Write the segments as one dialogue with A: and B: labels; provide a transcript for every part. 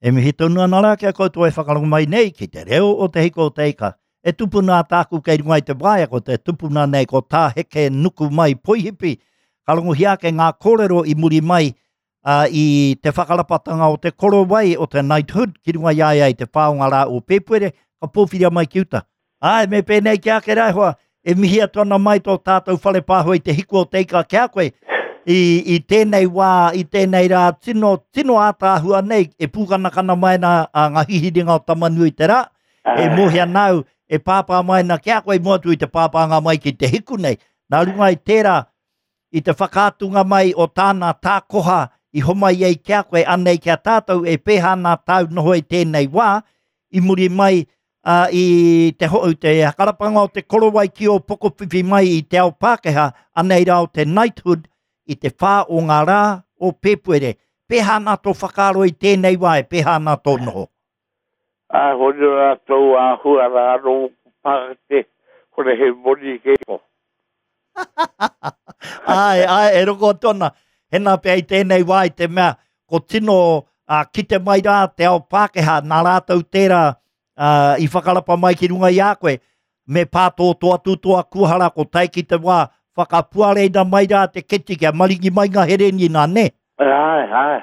A: E mihi tonu ana rā ki a koutou e whakarongo mai nei ki te reo o Te Hiko o Te Ika. E tupuna a tāku kei runga i te waea, ko te tupuna nei ko Tā Heke Nuku Mai Poihipi. Ka rongohia ake ngā kōrero i muri mai uh, i te whakarapatanga o te korowai o te knighthood ki runga i a ia i te whāonga rā o Pēpuere, ka pōwhiria mai ki uta. Āe, me pēnei ki a ake rā e hoa, e mihi atu ana mai tō tātou whare pāho i te hiku o te ika ki a koe, i, i tēnei wā, i tēnei rā, tino, tino ātaahua nei, e pūkanakana mai ana a ngā hihiringa o Tamanui te rā, e mōhia ana au, e pāpā mai ana ki a koe i mua atu i te pāpānga mai ki te hiku nei. Nā runga i tērā, i te whakaatunga mai o tāna tākoha i homai ai ki a koe, anei ki a tātou e pēhā ana tāu noho i tēnei wā, i muri mai ā, i te ho, te hakarapanga o te korowai ki ō pokowhiwhi mai i te ao Pākehā, anei rā o te knighthood i te whā o ngā rā o Pēpuere. Pēhā ana tō whakaaro i tēnei wā, e pēhā ana tō noho?
B: Ā, ko riro rātou āhua rā anō ōku pākete, kore he moni kei ko.
A: Āe, āe, e rongo atu ana. Hena pea i tēnei wā i te mea, ko tino uh, kite mai rā te ao Pākehā, nā rātou tērā uh, i whakarapa mai ki runga i a koe, me pātōtō atu tō akuhara ko tae ki te wā, whakapuareina mai rā te keti kia maringi mai ngā hereni nā, nē?
B: Āe, āe,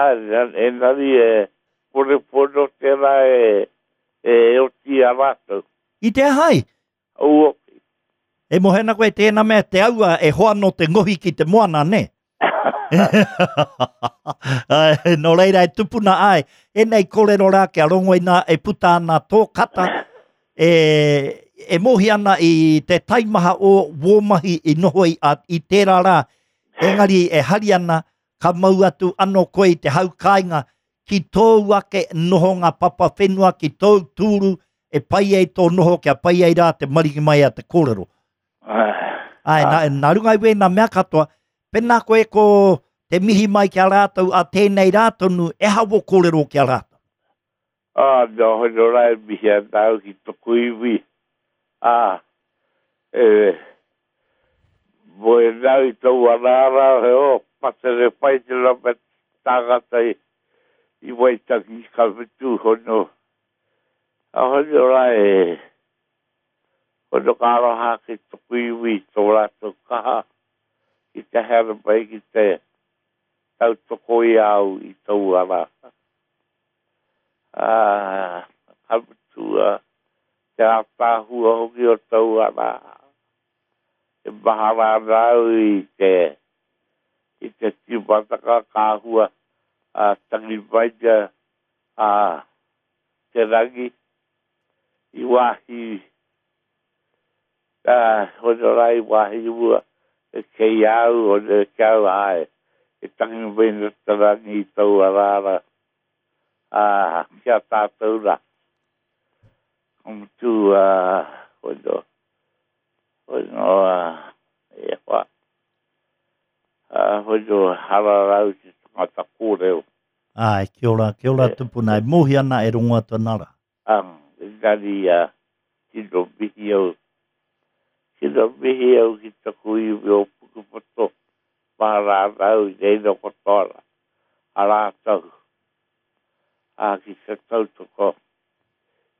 B: āe, engari e kore pono tērā e, e oti i a rātou.
A: I te aha ai?
B: Auoki.
A: E mohe ana koe tēnā mea te aua e hoa nō te ngohi ki te moana, nē? Nō reira e tupuna ai, ēnei kōrero rā kia rongoina e puta ana tō kata, e, e mōhi ana i te taimaha o wō mahi i noho i, a, i tērā rā, engari e hari ana ka mau atu anō koe i te hau kāinga ki tōu ake nohonga papa whenua, ki tōu tūru e pai ai tō noho kia pai ai rā te maringi mai a te kōrero. Ai, nā, nā runga i wēnā mea katoa, pēnā koe ko te mihi mai ki a rātou a tēnei rā tonu, e aha wō kōrero ki a rātou?
B: Ā, nō hono rā e mihi ana au ki toku iwi, ā, e moe ana au i taua rā rā, he o, patere pai te rā me tāngata i, i Waitangi, ka mutu hono, a hono rā e, hono ka aroha ki toku iwi tō rātou kaha ki te haere mai ki te tautoko i a au i taua rā. Ā, ka mutu te ātaahua hoki o taua rā. E mahara ana au i te i te tīmatanga ka āhua tangi mai a te rangi i wāhi ā, hono rā i wāhi mua kei a au, hono ki a au, āe, e tangi mai ana te rangi i taua rā rā, ā, ki a tātou rā. Ka mutu, ā, hono, hono, ā, e hoa, ā, hono hararau te tangata kōrero.
A: Āe, kia ora, kia ora tupuna, e mōhio ana, e rongo atu ana rā.
B: Ā, engari, ā, tino mihi au, tino mihi au ki taku iwi o Pukepoto, mahara ana au i reira katoa rā, a rātou, ā, ki te tautoko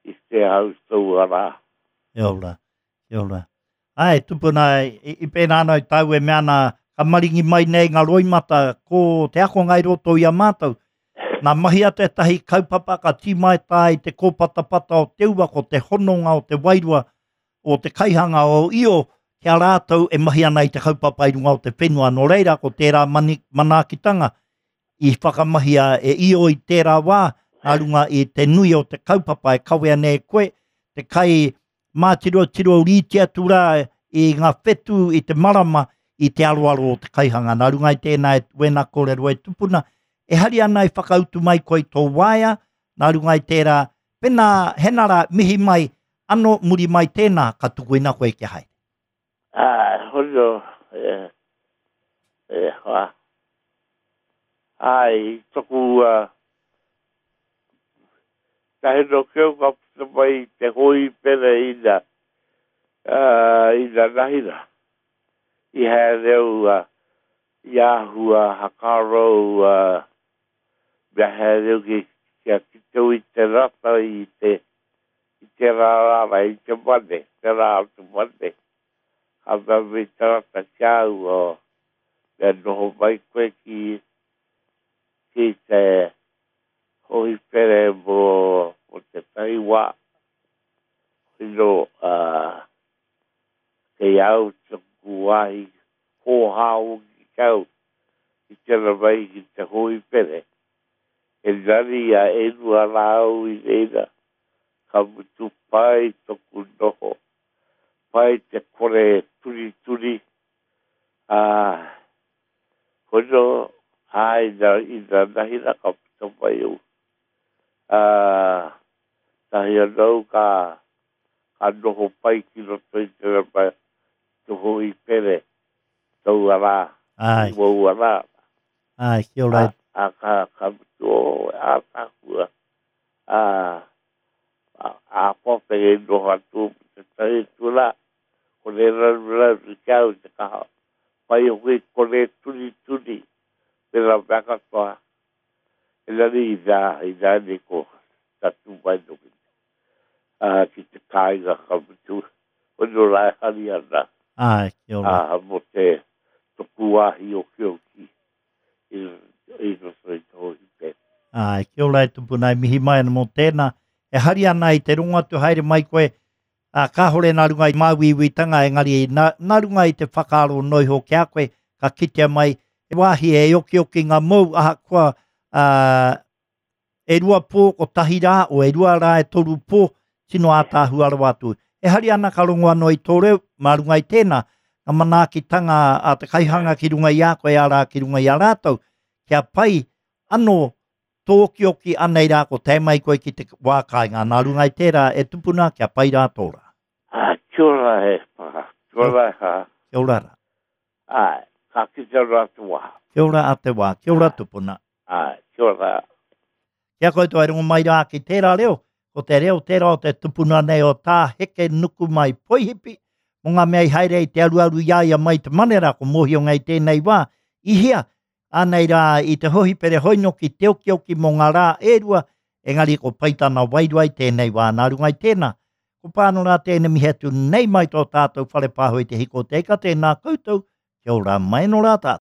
B: i te au taua rā.
A: Kia ora, Kia ora. Ai, tupuna, i, i pērā ana i tāu e mea ana, ka maringi mai nei ngā roimata, ko te akonga i roto i a mātou. Nā mahia tētahi kaupapa ka tīmaeta ai te kōpatapata o te ua, ko te hononga o te wairua o te kaihanga o Io, ki a rātou e mahi ana i te kaupapa i runga o te whenua. Nō reira, ko tērā mani, manaakitanga i whakamahia e Io i tērā wā, nā runga i te nui o te kaupapa e kawea nei e koe, te kai mātirotiro rīti atu rā i ngā whetū i te marama i te aroaro o te kaihanga. Nā runga i tēnā e wēnā kōrero e tupuna, e hari ana i whakautu mai koe i tō waea, nā runga i tērā, pēnā, hena rā, mihi mai, ano muri mai tēnā, ka tukuina koe kia haere.
B: Ā, hono, e, e hoa. Āe, i toku, uh, Tahi no keu ka puta mai i te hōhipera ina, uh, ina nahira. I haere au uh, i āhua hakarou uh, mea haere au ki. Kia kite i te rata i te i te rā rāra i te mane, te rā o te mane. Ka mea mai te rata ki a au, oh, mea noho mai koe ki, ki te hōhipere mō, mō tētahi wā. Hino, uh, kei au taku wāhi hōhā hoki ki au i tera mai ki te hōhipere. Engari a erua rā au i reira, ka mutu pai toku noho, pai te kore turituri, ā, hono, ā, ina, ina nahi rā ka puta mai au. Ā, tahi anō ka, ka noho pai ki roto i te rama te hōhipere, taua rā,
A: Āe.
B: waua rā.
A: Āe, kia ora.
B: Ā, ka, ka mutu o ātaahua. Ā, ā, kua pere noho atu te tahi atu rā, kore raruraru ki au te kaha. Pai hoki kore turituri, me rā mea katoa. Engari i rā, i rā nei ko tatū mai noki ā, ki te kāinga ka mutu, hono rā e hari ana.
A: Āe, kia ora.
B: Ā, mō te toku wāhi okioki i, i roto i te hōhipera.
A: Āe, kia ora e tupuna e mihi mai ana mō tēnā. E hari ana i te rongo atu haere mai koe, ā, kāhore nā runga i māuiuitanga, engari nā, nā runga i te whakaaro noa iho ki a koe, ka kitea mai he wāhi e okiokinga mōu ahakoa, ā, e rua pō, kotahi rā, o e rua rā e toru pō, tino ātaahua rawa atu. E hari ana ka rongo anō i tō reo, mā runga i tēnā, ngā manaakitanga a te kaihanga ki runga i a koe, arā, ki runga i a rātou, kia pai anō tō okioki anei rā ko tae mai koe ki te wā kāinga. Nā runga i tērā e tupuna kia pai rā tō rā.
B: Ah, kia ora e pā, kia ora e hā.
A: Kia ora rā.
B: Āe, ka kite anō a te wā.
A: Kia ora a te wā, kia ora tupuna.
B: Āe, kia ora.
A: Kia koutou e rongo mai rā ki tērā reo, ko te reo tērā o te tupuna nei o Tā Heke Nukumai Poihipi, mō ngā mea i haere i te aruaru i a ia mai te manera, ko mōhio nei tēnei wā, i hia, ānei rā i te hohipere hoinoki te okioki mō ngā rā e rua, engari ko pai tana wairua i tēnei wā, nā runga i tēnā, ko pāno rā tēnei mihi atu nei mai tō tātou whare pāho i te hiko o te ika, tēnā koutou, kia ora mai nō rā tātou.